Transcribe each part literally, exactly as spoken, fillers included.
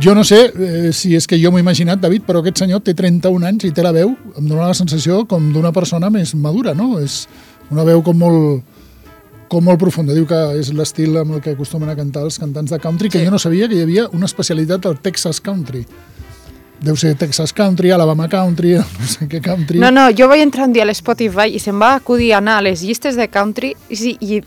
Jo no sé eh, si és que jo m'ho he imaginat, David, però aquest senyor té trenta-un anys i té la veu, em dóna la sensació com d'una persona més madura, no? És una veu com molt, com molt profunda. Diu que és l'estil amb el que acostumen a cantar els cantants de country, que sí. Jo no sabia que hi havia una especialitat del Texas Country. Deu ser Texas Country, Alabama Country, no sé què country... No, no, jo vaig entrar un dia a l'Spotify i se'm va acudir anar a les llistes de country i, i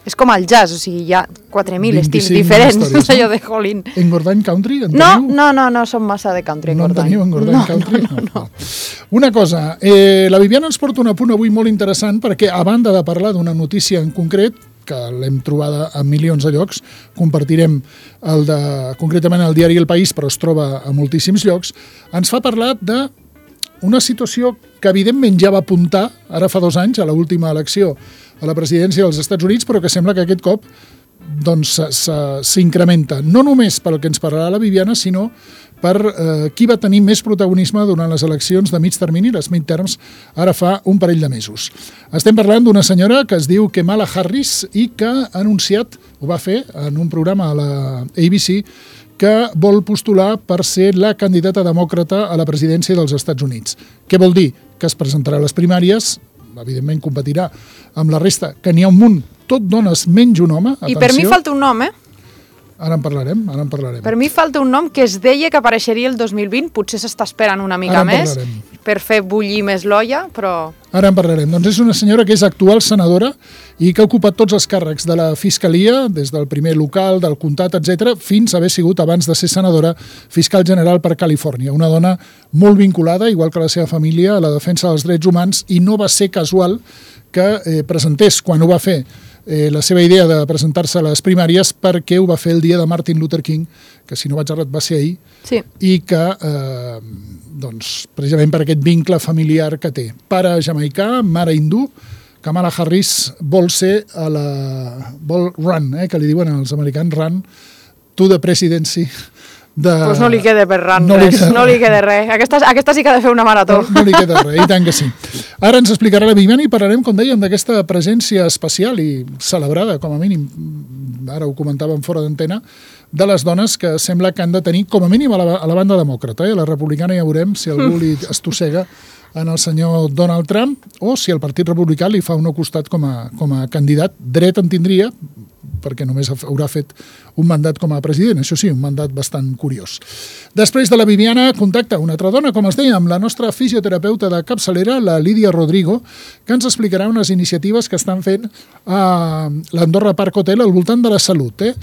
és com el jazz, o sigui, hi ha quatre mil estils diferents, històries, no? Allò de Jolín. Engordany Country? En no, no, no, no, som massa de country, Engordany. No en teniu Engordany no, Country? No, no, no. Una cosa, eh, la Viviana ens porta un apunt avui molt interessant perquè, a banda de parlar d'una notícia en concret, que l'hem trobada a milions de llocs, compartirem el de, concretament el diari El País, però es troba a moltíssims llocs, ens fa parlar de una situació que evidentment ja va apuntar, ara fa dos anys, a l'última elecció a la presidència dels Estats Units, però que sembla que aquest cop doncs, s'incrementa. No només pel que ens parlarà la Viviana, sinó per eh, qui va tenir més protagonisme durant les eleccions de mig termini, les midterms, ara fa un parell de mesos. Estem parlant d'una senyora que es diu Kamala Harris i que ha anunciat, ho va fer en un programa a la A B C, que vol postular per ser la candidata demòcrata a la presidència dels Estats Units. Què vol dir? Que es presentarà a les primàries, evidentment competirà amb la resta, que n'hi ha un munt, tot dones menys un home. Atenció. I per mi falta un nom, eh? Ara en parlarem, ara en parlarem. Per mi falta un nom que es deia que apareixeria el dos mil vint, potser s'està esperant una mica més per fer bullir més l'olla, però... Ara en parlarem. Doncs és una senyora que és actual senadora i que ha ocupat tots els càrrecs de la Fiscalia, des del primer local, del comtat, etcètera, fins a haver sigut, abans de ser senadora, fiscal general per Califòrnia. Una dona molt vinculada, igual que la seva família, a la defensa dels drets humans, i no va ser casual que eh, presentés, quan ho va fer, Eh, la seva idea de presentar-se a les primàries perquè ho va fer el dia de Martin Luther King, que si no vaig errat va ser ahir, sí. I que, eh, doncs, precisament per aquest vincle familiar que té. Pare jamaicà, mare hindú, Kamala Harris vol ser a la... vol run, eh, que li diuen als americans, run to the presidency. Doncs pues no li queda per ran no res, li no li queda res. Aquesta, aquesta sí que ha de fer una marató. No, no li queda res, i tant que sí. Ara ens explicarà la Viviana i parlarem, com dèiem, d'aquesta presència especial i celebrada, com a mínim, ara ho comentàvem fora d'antena, de les dones que sembla que han de tenir, com a mínim, a la, a la banda demòcrata. Eh? A la republicana ja veurem si algú li estossega en el senyor Donald Trump o si el Partit Republicà li fa un costat com a, com a candidat. Dret en tindria, perquè només haurà fet un mandat com a president, això sí, un mandat bastant curiós. Després de la Viviana, contacta una altra dona, com es deia, amb la nostra fisioterapeuta de capçalera, la Lídia Rodrigo, que ens explicarà unes iniciatives que estan fent a l'Andorra Park Hotel al voltant de la salut. Eh?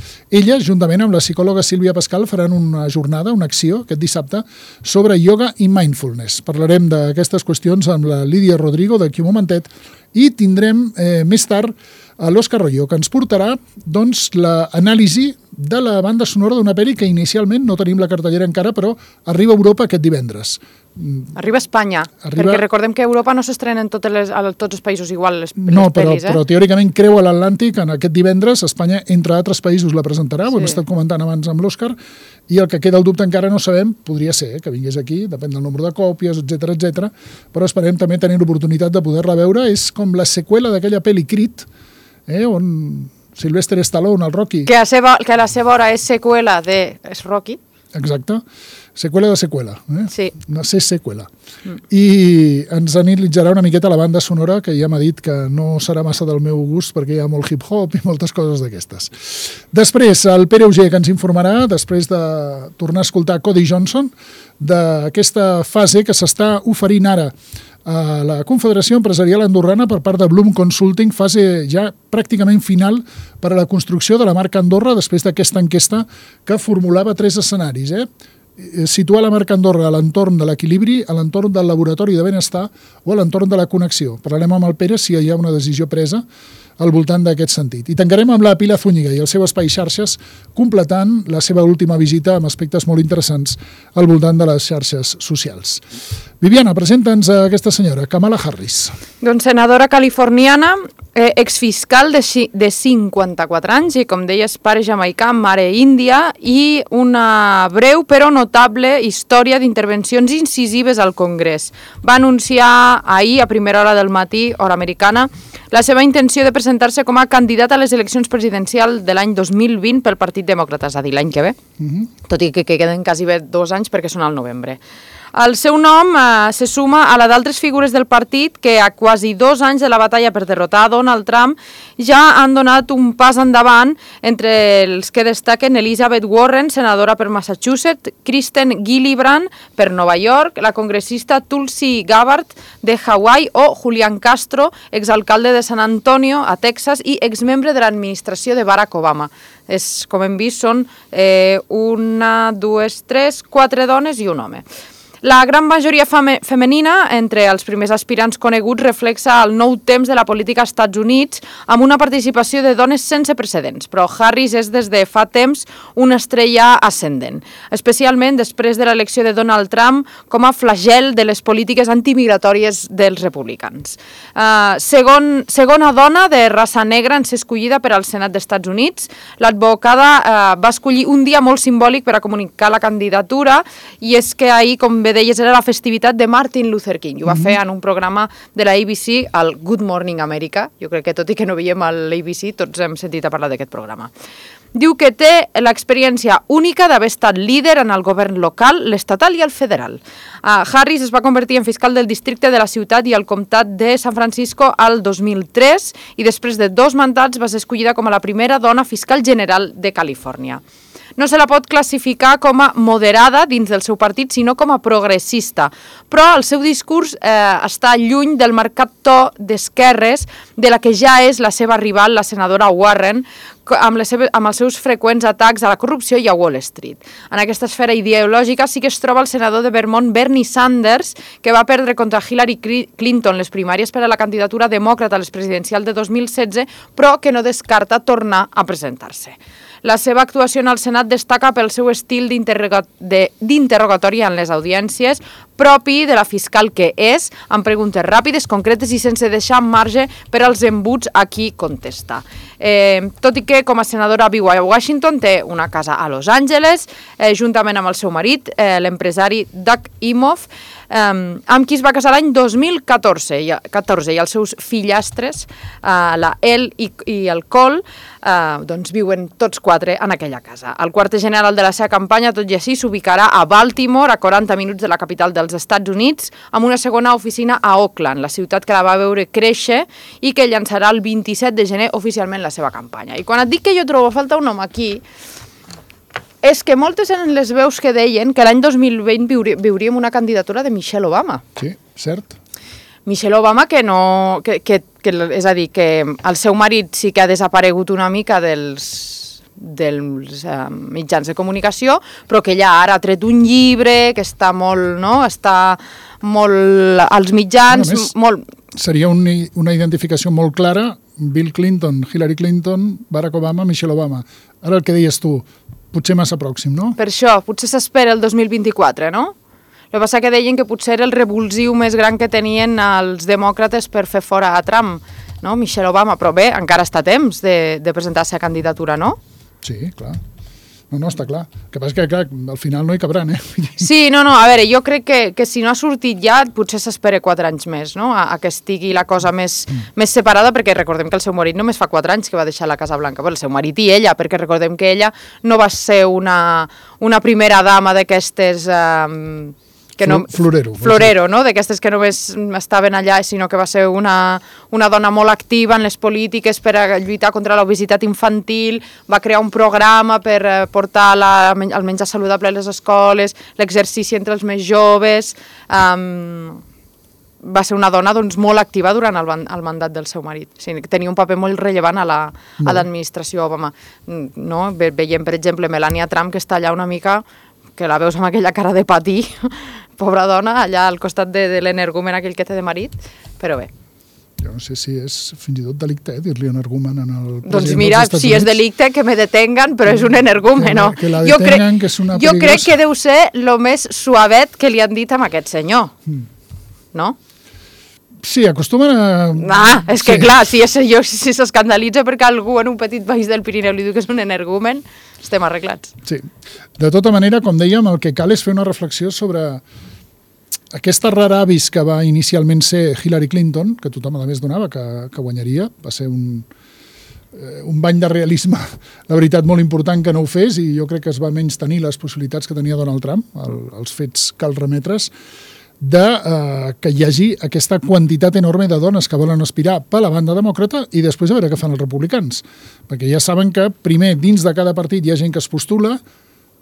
Ella, juntament amb la psicòloga Sílvia Pascal, faran una jornada, una acció, aquest dissabte, sobre ioga i mindfulness. Parlarem d'aquestes qüestions amb la Lídia Rodrigo d'aquí un momentet i tindrem eh, més tard a l'Òscar Royo, que ens portarà doncs, l'anàlisi de la banda sonora d'una pel·li que inicialment no tenim la cartellera encara, però arriba a Europa aquest divendres. Arriba a Espanya, arriba... perquè recordem que a Europa no s'estrenen tots, les, tots els països igual les, no, les pel·lis. No, però, eh? però teòricament creua l'Atlàntic en aquest divendres. Espanya, entre altres països, la presentarà, sí. Ho hem estat comentant abans amb l'Òscar, i el que queda el dubte encara no sabem, podria ser eh, que vingués aquí, depèn del nombre de còpies, etcètera, etcètera, però esperem també tenir l'oportunitat de poder-la veure. És com la seqüela d'aquella pel·li Creed, eh, on Sylvester Stallone, el Rocky... Que, a seva, que a la seva hora és seqüela de és Rocky. Exacte. Seqüela de seqüela. Eh? Sí. Una C-seqüela. Mm. I ens analitzarà una miqueta la banda sonora, que ja m'ha dit que no serà massa del meu gust perquè hi ha molt hip-hop i moltes coses d'aquestes. Després, el Pere Auger, que ens informarà, després de tornar a escoltar Cody Johnson, d'aquesta fase que s'està oferint ara a la Confederació Empresarial Andorrana per part de Bloom Consulting, fase ja pràcticament final per a la construcció de la marca Andorra després d'aquesta enquesta que formulava tres escenaris. Eh? Situar la marca Andorra a l'entorn de l'equilibri, a l'entorn del laboratori de benestar o a l'entorn de la connexió. Parlarem amb el Pere si hi ha una decisió presa al voltant d'aquest sentit. I tancarem amb la Pilar Zúñiga i el seu espai xarxes, completant la seva última visita amb aspectes molt interessants al voltant de les xarxes socials. Viviana, presenta'ns a aquesta senyora, Kamala Harris. Doncs senadora californiana, eh, exfiscal de, de cinquanta-quatre anys i, com deies, pare jamaicà, mare índia i una breu però notable història d'intervencions incisives al Congrés. Va anunciar ahir, a primera hora del matí, hora americana, la seva intenció de presentar-se com a candidat a les eleccions presidencials de l'any dos mil vint pel Partit Demòcrata, és a dir, l'any que ve, uh-huh. tot i que, que queden quasi bé dos anys perquè són al novembre. El seu nom eh, se suma a la d'altres figures del partit que a quasi dos anys de la batalla per derrotar Donald Trump ja han donat un pas endavant, entre els que destaquen Elizabeth Warren, senadora per Massachusetts, Kristen Gillibrand per Nova York, la congressista Tulsi Gabbard de Hawaii o Julian Castro, exalcalde de San Antonio, a Texas, i exmembre de l'administració de Barack Obama. És, com hem vist, són eh, una, dues, tres, quatre dones i un home. La gran majoria feme femenina entre els primers aspirants coneguts reflexa el nou temps de la política als Estats Units amb una participació de dones sense precedents, però Harris és des de fa temps una estrella ascendent, especialment després de l'elecció de Donald Trump com a flagel de les polítiques antimigratòries dels republicans. Uh, segon, segona dona de raça negra en ser escollida per al Senat dels Estats Units, l'advocada uh, va escollir un dia molt simbòlic per a comunicar la candidatura, i és que ahir, com bé deies, era la festivitat de Martin Luther King. Ho va fer en un programa de la A B C, el Good Morning America. Jo crec que tot i que no veiem a l'A B C, tots hem sentit a parlar d'aquest programa. Diu que té l'experiència única d'haver estat líder en el govern local, l'estatal i el federal. Uh, Harris es va convertir en fiscal del districte de la ciutat i el comtat de San Francisco al dos mil tres i després de dos mandats va ser escollida com a la primera dona fiscal general de Califòrnia. No se la pot classificar com a moderada dins del seu partit, sinó com a progressista. Però el seu discurs eh, està lluny del marcat to d'esquerres de la que ja és la seva rival, la senadora Warren, amb, les seves, amb els seus freqüents atacs a la corrupció i a Wall Street. En aquesta esfera ideològica sí que es troba el senador de Vermont, Bernie Sanders, que va perdre contra Hillary Clinton les primàries per a la candidatura demòcrata a les presidencials de dos mil setze, però que no descarta tornar a presentar-se. La seva actuació en el Senat destaca pel seu estil d'interrogatori en les audiències, propi de la fiscal que és, amb preguntes ràpides, concretes i sense deixar marge per als embuts a qui contesta. Eh, tot i que com a senadora viu a Washington, té una casa a Los Angeles, eh, juntament amb el seu marit, eh, l'empresari Doug Imhoff, eh, amb qui es va casar l'any dos mil catorze, i, catorze, i els seus fillastres, eh, la Elle i, i el Cole, eh, doncs viuen tots quatre en aquella casa. El quarter general de la seva campanya, tot i així, s'ubicarà a Baltimore, a quaranta minuts de la capital dels Estats Units, amb una segona oficina a Oakland, la ciutat que la va veure créixer i que llançarà el vint-i-set de gener oficialment la seva campanya. I quan et dic que jo trobo a falta un home aquí, és que moltes eren les veus que deien que l'any dos mil vint viuríem una candidatura de Michelle Obama. Sí, cert. Michelle Obama, que no... Que, que, que, és a dir, que el seu marit sí que ha desaparegut una mica dels, dels uh, mitjans de comunicació, però que ella ara ha tret un llibre, que està molt, no?, està molt als mitjans, més, molt... Seria un, una identificació molt clara, Bill Clinton, Hillary Clinton, Barack Obama, Michelle Obama. Ara el que deies tu, potser massa pròxim, no? Per això, potser s'espera el dos mil vint-i-quatre, no? El que passa que deien que potser era el revulsiu més gran que tenien els demòcrates per fer fora a Trump, no? Michelle Obama, però bé, encara està a temps de, de presentar-se a candidatura, no? Sí, clar. No, no, està clar. El que passa que, clar, al final no hi cabran, eh? Sí, no, no, a veure, jo crec que, que si no ha sortit ja, potser s'espera quatre anys més, no?, a, a que estigui la cosa més, mm. més separada, perquè recordem que el seu marit només fa quatre anys que va deixar la Casa Blanca, però el seu marit i ella, perquè recordem que ella no va ser una, una primera dama d'aquestes... Um, que no, florero. Florero, no?, d'aquestes que només estaven allà, sinó que va ser una, una dona molt activa en les polítiques per a lluitar contra l'obesitat infantil, va crear un programa per portar la, el menjar saludable a les escoles, l'exercici entre els més joves... Um, va ser una dona doncs, molt activa durant el, el mandat del seu marit. O sigui, tenia un paper molt rellevant a l'administració Obama. No? Ve, veiem, per exemple, Melania Trump, que està allà una mica, que la veus amb aquella cara de patir, pobra dona, allà al costat de, de l'energumen aquell que té de marit, però bé. Jo no sé si és fins i tot delicte, eh, dir-li energumen en el president doncs mira, dels Estats si Units. És delicte, que me detengan, però és un energumen, no? Que la detengan, que és una peligrosa. Jo crec que deu ser el més suavet que li han dit a aquest senyor, mm. no? Sí, acostumen a... Ah, és que sí. Clar, si s'escandalitza si perquè algú en un petit país del Pirineu li diu que és un energumen, estem arreglats. Sí. De tota manera, com dèiem, el que cal és fer una reflexió sobre aquesta rara avis que va inicialment ser Hillary Clinton, que tothom a més donava que, que guanyaria, va ser un, eh, un bany de realisme, la veritat, molt important que no ho fes, i jo crec que es va menys tenir les possibilitats que tenia Donald Trump, el, els fets cal remetre's, de eh, que hi hagi aquesta quantitat enorme de dones que volen aspirar per la banda demòcrata i després a veure què fan els republicans. Perquè ja saben que, primer, dins de cada partit hi ha gent que es postula,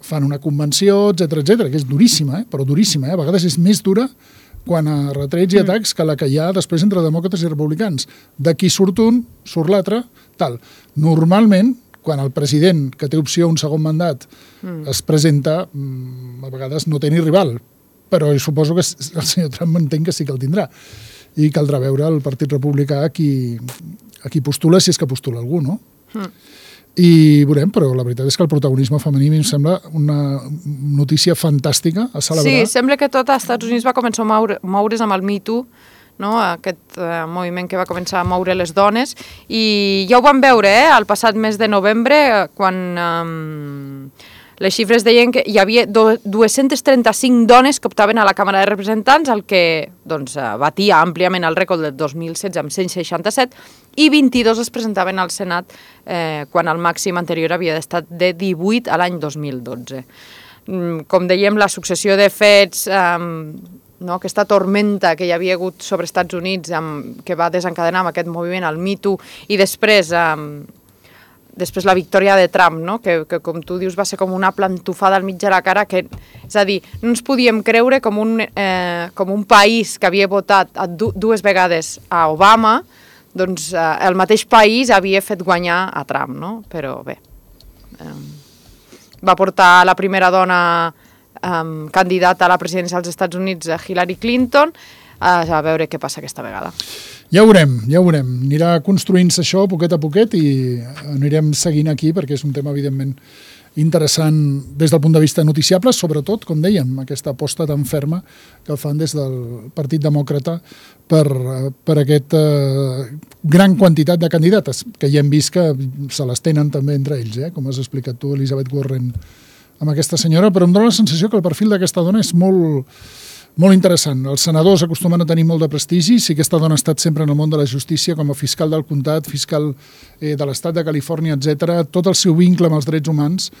fan una convenció, etcètera, etcètera, que és duríssima, eh? però duríssima. Eh? A vegades és més dura quan a retrets i atacs que la que hi ha després entre demòcrates i republicans. D'aquí surt un, surt l'altre, tal. Normalment, quan el president, que té opció a un segon mandat, mm. es presenta, a vegades no té ni rival, però suposo que el senyor Trump entén que sí que el tindrà. I caldrà veure el Partit Republicà a qui, a qui postula, si és que postula algú, no? Mm. I veurem, però la veritat és que el protagonisme femení em sembla una notícia fantàstica a celebrar. Sí, sembla que tot als Estats Units va començar a moure, moure's amb el Me Too, no? Aquest eh, moviment que va començar a moure les dones, i ja ho vam veure eh, el passat mes de novembre, quan eh, les xifres deien que hi havia dues-centes trenta-cinc dones que optaven a la Càmera de Representants, el que doncs, batia àmpliament el rècord del dos mil setze amb cent seixanta-set, i vint-i-dos es presentaven al Senat eh, quan el màxim anterior havia estat de divuit a l'any dos mil dotze. Com dèiem, la successió de fets, eh, no, aquesta tormenta que hi havia hagut sobre Estats Units, amb, que va desencadenar amb aquest moviment, el Me Too, i després... Eh, després la victòria de Trump, no? que, que com tu dius va ser com una plantofada al mig de la cara, que, és a dir, no ens podíem creure com un, eh, com un país que havia votat a du dues vegades a Obama, doncs eh, el mateix país havia fet guanyar a Trump, no? Però bé, eh, va portar la primera dona eh, candidata a la presidència dels Estats Units, Hillary Clinton, a veure què passa aquesta vegada. Ja ho veurem, ja ho veurem. Anirà construint-se això poquet a poquet i anirem seguint aquí perquè és un tema, evidentment, interessant des del punt de vista noticiable, sobretot, com dèiem, aquesta aposta tan ferma que fan des del Partit Demòcrata per, per aquesta eh, gran quantitat de candidates, que ja hem vist que se les tenen també entre ells, eh? Com has explicat tu, Elizabeth Warren, amb aquesta senyora, però em dóna la sensació que el perfil d'aquesta dona és molt... molt interessant. Els senadors acostumen a tenir molt de prestigi. Si aquesta dona ha estat sempre en el món de la justícia com a fiscal del comtat, fiscal eh, de l'estat de Califòrnia, etcètera. Tot el seu vincle amb els drets humans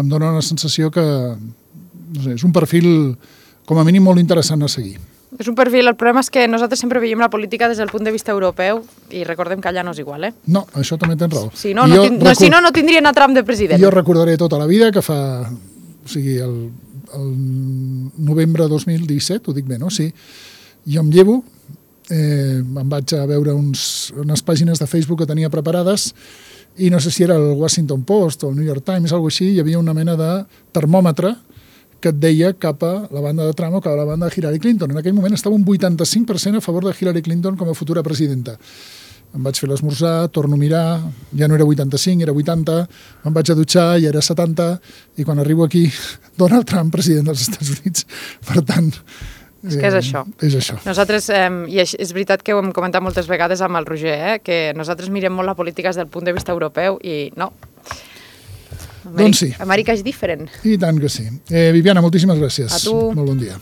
em dona una sensació que no sé, és un perfil com a mínim molt interessant a seguir. És un perfil, el problema és que nosaltres sempre veiem la política des del punt de vista europeu i recordem que allà no és igual, eh? No, això també tens raó. Si no, no, no, record... si no, no tindrien a Trump de president. Jo recordaré tota la vida que fa... O sigui, el... el novembre dos mil disset, ho dic bé, no? Sí. Jo em llevo, eh, em vaig a veure uns, unes pàgines de Facebook que tenia preparades i no sé si era el Washington Post o el New York Times, alguna així, hi havia una mena de termòmetre que et deia cap a la banda de Trump o cap a la banda de Hillary Clinton. En aquell moment estava un vuitanta-cinc per cent a favor de Hillary Clinton com a futura presidenta. Em vaig fer l'esmorzar, torno a mirar, ja no era vuitanta-cinc, era vuitanta, em vaig a dutxar, ja era setanta, i quan arribo aquí, Donald Trump, president dels Estats Units. Per tant... És que és això. Eh, és això. Nosaltres, eh, i és veritat que ho hem comentat moltes vegades amb el Roger, eh, que nosaltres mirem molt la política des del punt de vista europeu i no. Amèrica, doncs sí. Amèrica és diferent. I tant que sí. Eh, Viviana, moltíssimes gràcies. A tu. Molt bon dia.